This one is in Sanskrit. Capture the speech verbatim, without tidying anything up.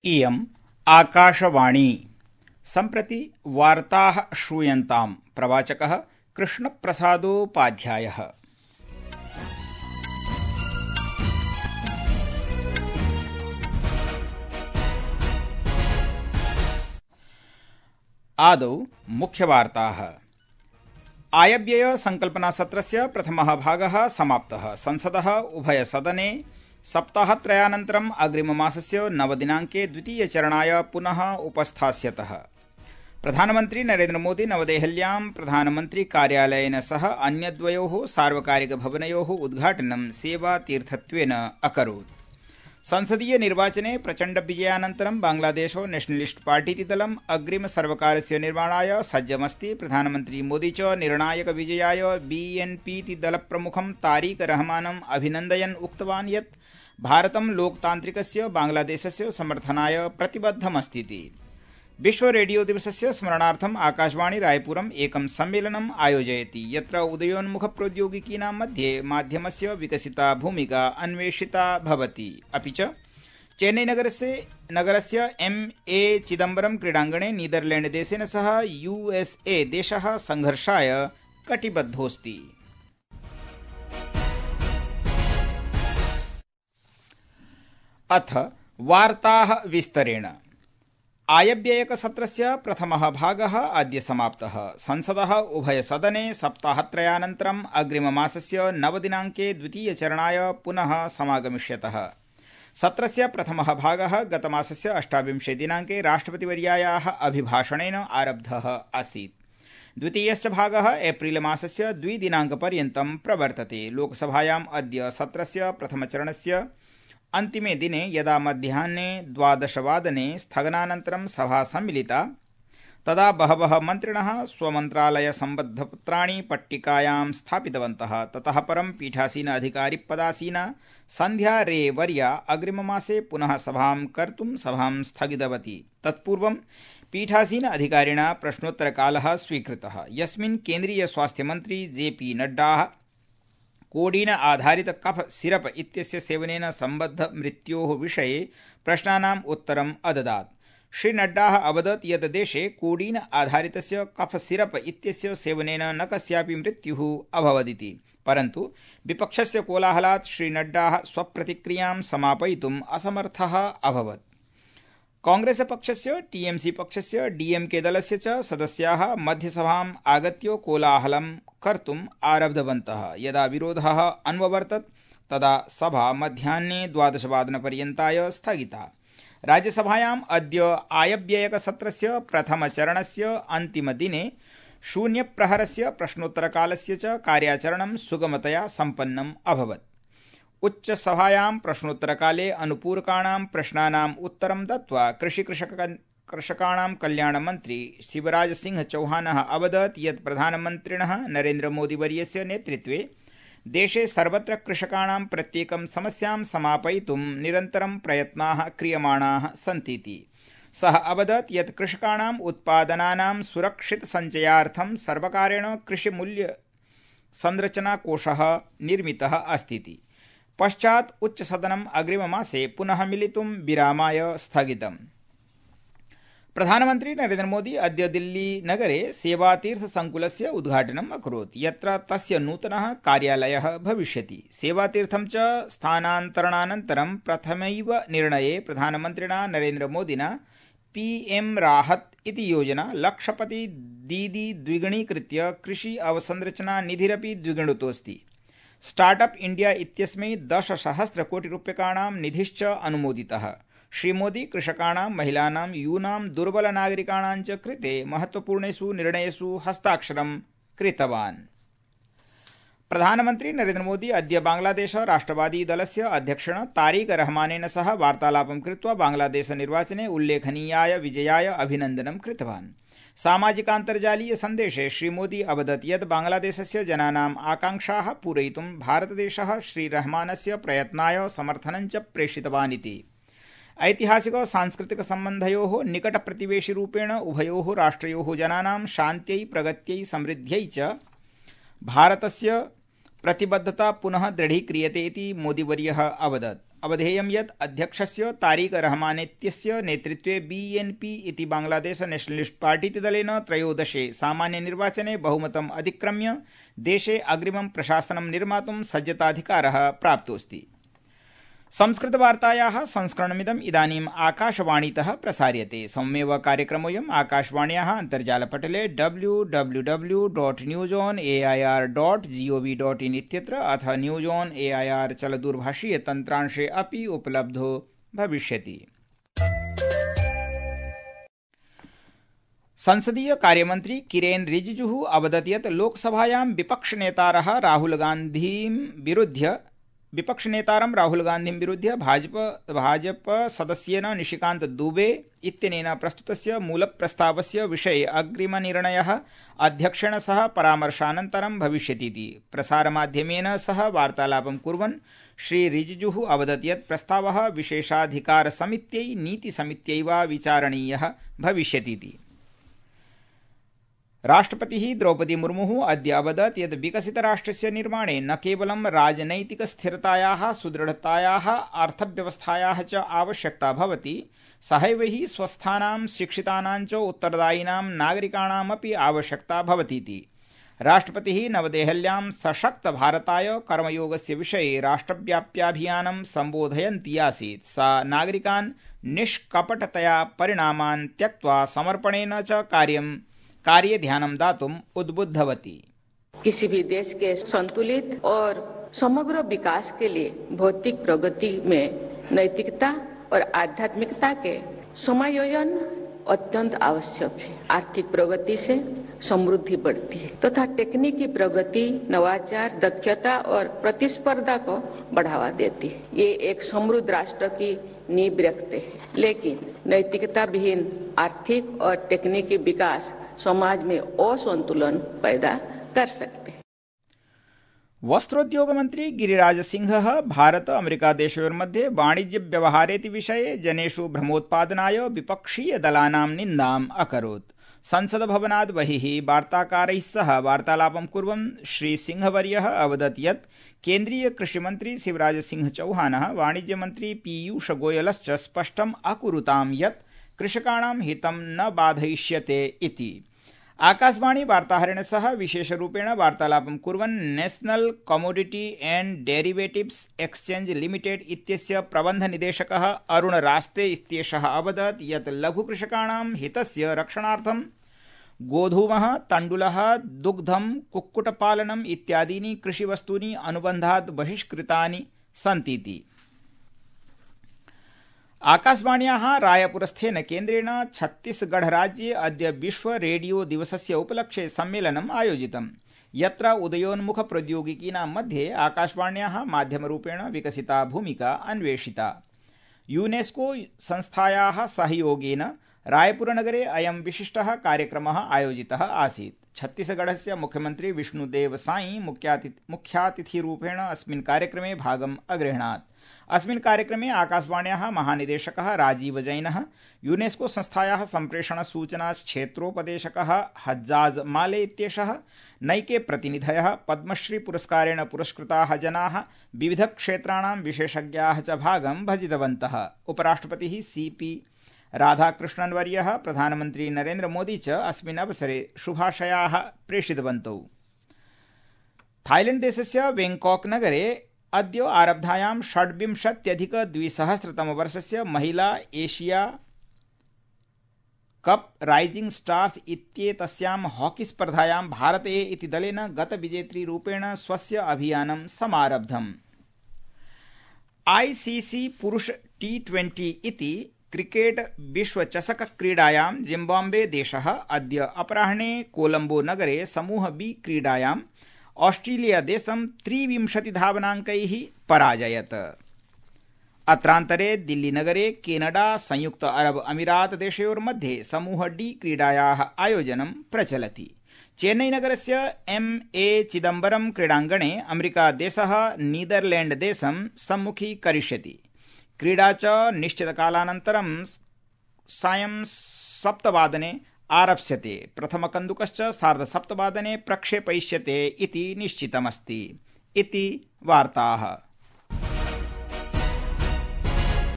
इयम् आकाशवाणी। सम्प्रति वार्ताः श्रूयन्ताम्। प्रवाचकः कृष्णप्रसादोपाध्यायः। आदौ मुख्यवार्ताः। आयव्यय संकल्पनासत्रस्य प्रथमः भागः समाप्तः। संसदः उभयसदने सप्ताहत्रयानन्तरम् अग्रिममासस्य नवदिनाङ्के द्वितीयचरणाय पुनः उपस्थास्यतः। प्रधानमन्त्री नरेन्द्रमोदी नवदेहल्यां प्रधानमन्त्री कार्यालयेन सह अन्यद्वयोः सार्वकारिकभवनयोः उद्घाटनं सेवातीर्थत्वेन अकरोत्। संसदीय निर्वाचने प्रचण्डविजयानन्तरं बांग्लादेशो नेशनलिस्ट पार्टीति दलम् अग्रिमसर्वकारस्य निर्माणाय सज्जमस्ति। प्रधानमन्त्री मोदी च निर्णायकविजयाय बीएनपीति दलप्रमुखं तारिक रहमानम् अभिनन्दयन् उक्तवान् यत् भारतं लोकतान्त्रिकस्य बांग्लादेशस्य समर्थनाय प्रतिबद्धमस्तीति। विश्व रेडियो दिवसस्य स्मरणार्थम् आकाशवाणी रायपुरम् एकं सम्मेलनम् आयोजयति, यत्र उदयोन्मुख प्रौद्योगिकीनां मध्ये माध्यमस्य विकसिता भूमिका अन्वेषिता भवति। अपि च चेन्नईनगरस्य नगरस्य एम् ए चिदम्बरम क्रीडाङ्गणे नीदरलैण्डदेशेन सह यूएसए देशः संघर्षाय कटिबद्धोऽस्ति। अथ वार्ताः विस्तरेण। आयव्ययकसत्रस्य प्रथमः भागः अद्य समाप्तः। संसदः उभयसदने सप्ताहत्रयानन्तरम् अग्रिममासस्य नवदिनाङ्के द्वितीयचरणाय पुनः समागमिष्यतः। सत्रस्य प्रथमः भागः गतमासस्य अष्टाविंशे दिनाङ्के राष्ट्रपतिवर्यायाः अभिभाषणेन आरब्धः आसीत्। द्वितीयश्च भागः एप्रिल मासस्य द्विदिनाङ्कपर्यन्तं प्रवर्तते। लोकसभायाम् अद्य सत्रस्य प्रथमचरणस्य अन्तिमे दिने यदा मध्याह्ने द्वादशवादने स्थगनानन्तरं सभा सम्मिलिता, तदा बहवः मन्त्रिणः स्वमन्त्रालयसम्बद्धपत्राणि पट्टिकायां स्थापितवन्तः। ततः परं पीठासीन अधिकारिपदासीना सन्ध्या रे वर्या अग्रिममासे पुनः सभां कर्तुं सभां स्थगितवती। तत्पूर्वं पीठासीन अधिकारिणा प्रश्नोत्तरकालः स्वीकृतः, यस्मिन् केन्द्रीय स्वास्थ्यमन्त्री जे पी नड्डा कोडीन आधारित कफ सिरप इत्यस्य सेवनेन सम्बद्ध मृत्योः विषये प्रश्नानाम् उत्तरम् अददात्। श्री नड्डा अवदत् यत् देशे कोडीन आधारितस्य कफ सिरप इत्यस्य सेवनेन न कस्यापि मृत्युः अभवदिति, परन्तु विपक्षस्य कोलाहलात् श्री नड्डा स्वप्रतिक्रियां समापयितुम् असमर्थः अभवत्। कांग्रेस पक्षस्य, टीएमसी पक्षस्य, डीएमके दलस्य च सदस्याः मध्यसभाम् आगत्य कोलाहलं कर्तुम् आरब्धवन्तः। यदा विरोधः अन्ववर्तत, तदा सभा मध्याह्ने द्वादशवादनपर्यन्ताय स्थगिता। राज्यसभायाम् अद्य आयव्ययकसत्रस्य प्रथमचरणस्य अन्तिमदिने शून्यप्रहरस्य प्रश्नोत्तरकालस्य च कार्याचरणं सुगमतया सम्पन्नम् अभवत्। उच्चसभायां प्रश्नोत्तरकाले अनुपूरकाणां प्रश्नानाम् उत्तरं दत्त्वा कृषिकृषकाणां कल्याणमन्त्री शिवराज सिंह चौहानः अवदत् यत् प्रधानमन्त्रिणः नरेन्द्रमोदीवर्यस्य नेतृत्वे देशे सर्वत्र कृषकाणां प्रत्येकं समस्यां समापयितुं निरन्तरं प्रयत्नाः क्रियमाणाः सन्तीति। सः अवदत् यत् कृषकाणाम् उत्पादनानां सुरक्षितसञ्चयार्थं सर्वकारेण कृषिमूल्य संरचनाकोषः निर्मितः अस्तीति। पश्चात् उच्चसदनम् अग्रिममासे पुनः मिलितुं विरामाय स्थगितम्। प्रधानमन्त्री नरेन्द्रमोदी अद्य दिल्लीनगरे सेवातीर्थसङ्कुलस्य उद्घाटनम् अकरोत्, यत्र तस्य नूतनः कार्यालयः भविष्यति। सेवातीर्थं च स्थानान्तरणानन्तरं प्रथमैव निर्णये प्रधानमन्त्रिणा नरेन्द्रमोदिना पीएम राहत इति योजना लक्षपति दीदी द्विगुणीकृत्य कृषि अवसंरचना निधिरपि द्विगुणितोऽस्ति। स्टार्टअप इंडिया इत्यस्मै दशसहस्रकोटिरूप्यकाणां निधिश्च अनुमोदितः। श्रीमोदी कृषकाणां, महिलानां, यूनां, दुर्बलनागरिकाणां च कृते महत्वपूर्णेषु निर्णयेषु हस्ताक्षरं कृतवान्। प्रधानमन्त्री नरेन्द्रमोदी अद्य बांग्लादेश राष्ट्रवादी दलस्य अध्यक्षेण तारिक रहमानेन सह वार्तालापं कृत्वा बांग्लादेशनिर्वाचने उल्लेखनीयाय विजयाय अभिनन्दनं कृतवान्। सामाजिकान्तर्जालीय सन्देशे श्रीमोदी अवदत् यत् बांग्लादेशस्य जनानाम् आकांक्षाः पूरयितुं भारतदेशः श्रीरहमानस्य प्रयत्नाय समर्थनं च प्रेषितवान् इति। ऐतिहासिक सांस्कृतिक सम्बन्धयोः निकटप्रतिवेशिरूपेण उभयोः राष्ट्रयोः जनानां शान्त्यै, प्रगत्यै, समृद्ध्यै च भारतस्य प्रतिबद्धता पुनः दृढीक्रियते इति मोदीवर्यः अवदत्। अवधेयं यत् अध्यक्षस्य तारिक रहमानेत्यस्य नेतृत्वे बीएनपी इति बांग्लादेश नेशनलिस्ट पार्टीति दलेन त्रयोदशे सामान्यनिर्वाचने बहुमतम् अधिक्रम्य देशे अग्रिमं प्रशासनं निर्मातुं सज्जताधिकारः प्राप्तोऽस्ति। संस्कृतवार्तायाः संस्करणमिदम् इदानीम् आकाशवाणीतः प्रसार्यते। सममेव कार्यक्रमोऽयम् आकाशवाण्याः अन्तर्जालपटले W W W dot news on A I R dot G O V dot in इत्यत्र अथ news on A I R चलदूरभाषीय तन्त्रांशे अपि उपलब्धो भविष्यति। संसदीय कार्यमन्त्री किरेन रिजिजुः अवदत् यत् लोकसभायां विपक्षनेतारः राहुल गान्धीं विरुध्य विपक्षनेतारं राहुल गान्धीं विरुध्य भाजप भाजप सदस्येन निशिकान्त दुबे इत्यनेन प्रस्तुतस्य मूलप्रस्तावस्य विषये अग्रिमनिर्णयः अध्यक्षेण सह परामर्शानन्तरं भविष्यतीति प्रसारमाध्यमेन सह वार्तालापं कुर्वन् श्री रिजिजुः अवदत् यत् प्रस्तावः विशेषाधिकारसमित्यै नीतिसमित्यै वा विचारणीयः भविष्यतीति। राष्ट्रपतिः द्रौपदी मुर्मुः अद्य अवदत् यत् विकसितराष्ट्रस्य निर्माणे न केवलं राजनैतिकस्थिरतायाः सुदृढतायाः अर्थव्यवस्थायाः च आवश्यकता भवति, सहैव हि स्वस्थानां शिक्षितानां च उत्तरदायिनां नागरिकाणामपि आवश्यकता भवतीति। राष्ट्रपतिः नवदेहल्यां सशक्तभारताय कर्मयोगस्य विषये राष्ट्रव्याप्याभियानं सम्बोधयन्ती आसीत्। सा नागरिकान् निष्कपटतया परिणामान् त्यक्त्वा समर्पणेन च कार्यं कार्य ध्यानं दातुम उद्बुद्धवती। किसी भी देश के संतुलित और समग्र विकास के लिए भौतिक प्रगति में नैतिकता और आध्यात्मिकता के समायोजन अत्यंत आवश्यक है। आर्थिक प्रगति से समृद्धि बढ़ती है तथा तो तकनीकी प्रगति, नवाचार, दक्षता और प्रतिस्पर्धा को बढ़ावा देती है। ये एक समृद्ध राष्ट्र की नींव रखते हैं, लेकिन नैतिकता विहीन आर्थिक और तकनीकी विकास समाज में असंतुलन पैदा कर सकते हैं। वस्त्रोद्योग मंत्री गिरिराज सिंहः भारत अमेरिका देशयोर्मध्ये वाणिज्य व्यवहारेति विषये जनेषु भ्रमोत्पादनाय विपक्षीय दलानां निन्दाम् अकरोत्। संसद भवनात् बहिः वार्ताकारैः सह वार्तालापं कुर्वन् श्री सिंहवर्यः अवदत् यत् केन्द्रीय कृषिमन्त्री शिवराज सिंह चौहानः वाणिज्यमन्त्री पीयूष गोयलश्च स्पष्टम् अकुरुतां यत् कृषकाणां हितं न बाधयिष्यते इति। आकाशवाणी वार्ताहरेण सह विशेषरूपेण वार्तालापं कुर्वन् national commodity and derivatives exchange limited इत्यस्य प्रबन्धनिदेशकः अरुण रास्ते इत्येषः अवदत् यत् लघुकृषकाणां हितस्य रक्षणार्थं गोधूमः, तण्डुलः, दुग्धं, कुक्कुटपालनम् इत्यादीनि कृषिवस्तूनि अनुबन्धात् बहिष्कृतानि सन्तीति। आकाशवाण्याः रायपुरस्थेन केन्द्रेण छत्तीसगढ़ राज्ये अद्य विश्व रेडियो दिवसस्य उपलक्ष्ये सम्मेलनम् आयोजितम्, यत्र उदयोन्मुख प्रौद्योगिकीनां मध्ये आकाशवाण्याः माध्यमरूपेण विकसिता भूमिका अन्वेषिता। यूनेस्को संस्थायाः सहयोगेन रायपुरनगरे अयं विशिष्टः कार्यक्रमः आयोजितः आसीत्। छत्तीसगढ़स्य मुख्यमन्त्री विष्णुदेव साई मुख्यातिथिरूपेण अस्मिन् कार्यक्रमे भागम् अगृह्णात्। अस्मिन् कार्यक्रमे आकाशवाण्याः महानिदेशकः राजीव जैनः, यूनेस्को संस्थायाः सम्प्रेषण सूचना क्षेत्रोपदेशकः हज्जाज माले इत्येषः, नैके प्रतिनिधयः, पद्मश्री पुरस्कारेण पुरस्कृताः जनाः, विविधक्षेत्राणां विशेषज्ञाः च भागं भजितवन्तः। उपराष्ट्रपतिः सीपी राधाकृष्णन्वर्यः, प्रधानमन्त्री नरेन्द्र मोदी च अस्मिन् अवसरे शुभाशयाः प्रेषितवन्तौ। थाईलैण्ड देशस्य बैंकॉक नगरे अद्य आरब्धायां षड्विंशत्यधिक द्विसहस्रतमवर्षस्य महिला एशिया कप राइजिंग स्टार्स इत्येतस्यां हॉकी स्पर्धायां भारते इति दलेन गतविजेतृरूपेण स्वस्य अभियानं समारब्धम्। आईसीसी पुरुष टी ट्वेंटी इति क्रिकेट विश्वचषक क्रीडायां जिम्बाब्वे देशः अद्य अपराह्ने कोलंबो नगरे समूह बी क्रीडायां ऑस्ट्रेलिया देशं त्रिविंशतिधावनाङ्कैः पराजयत। अत्रान्तरे दिल्लीनगरे केनडा संयुक्त अरब अमीरात देशयोर्मध्ये समूह डी क्रीडायाः आयोजनं प्रचलति। चेन्नईनगरस्य एम् ए चिदम्बरम क्रीडाङ्गणे अमेरिका देशः नीदरलैण्ड देशं सम्मुखीकरिष्यति। क्रीडा च निश्चितकालानन्तरं सायं सप्तवादने आरप्स्यते। प्रथमकन्दुकश्च सार्धसप्तवादने प्रक्षेपयिष्यते इति निश्चितमस्ति। इति वार्ताः।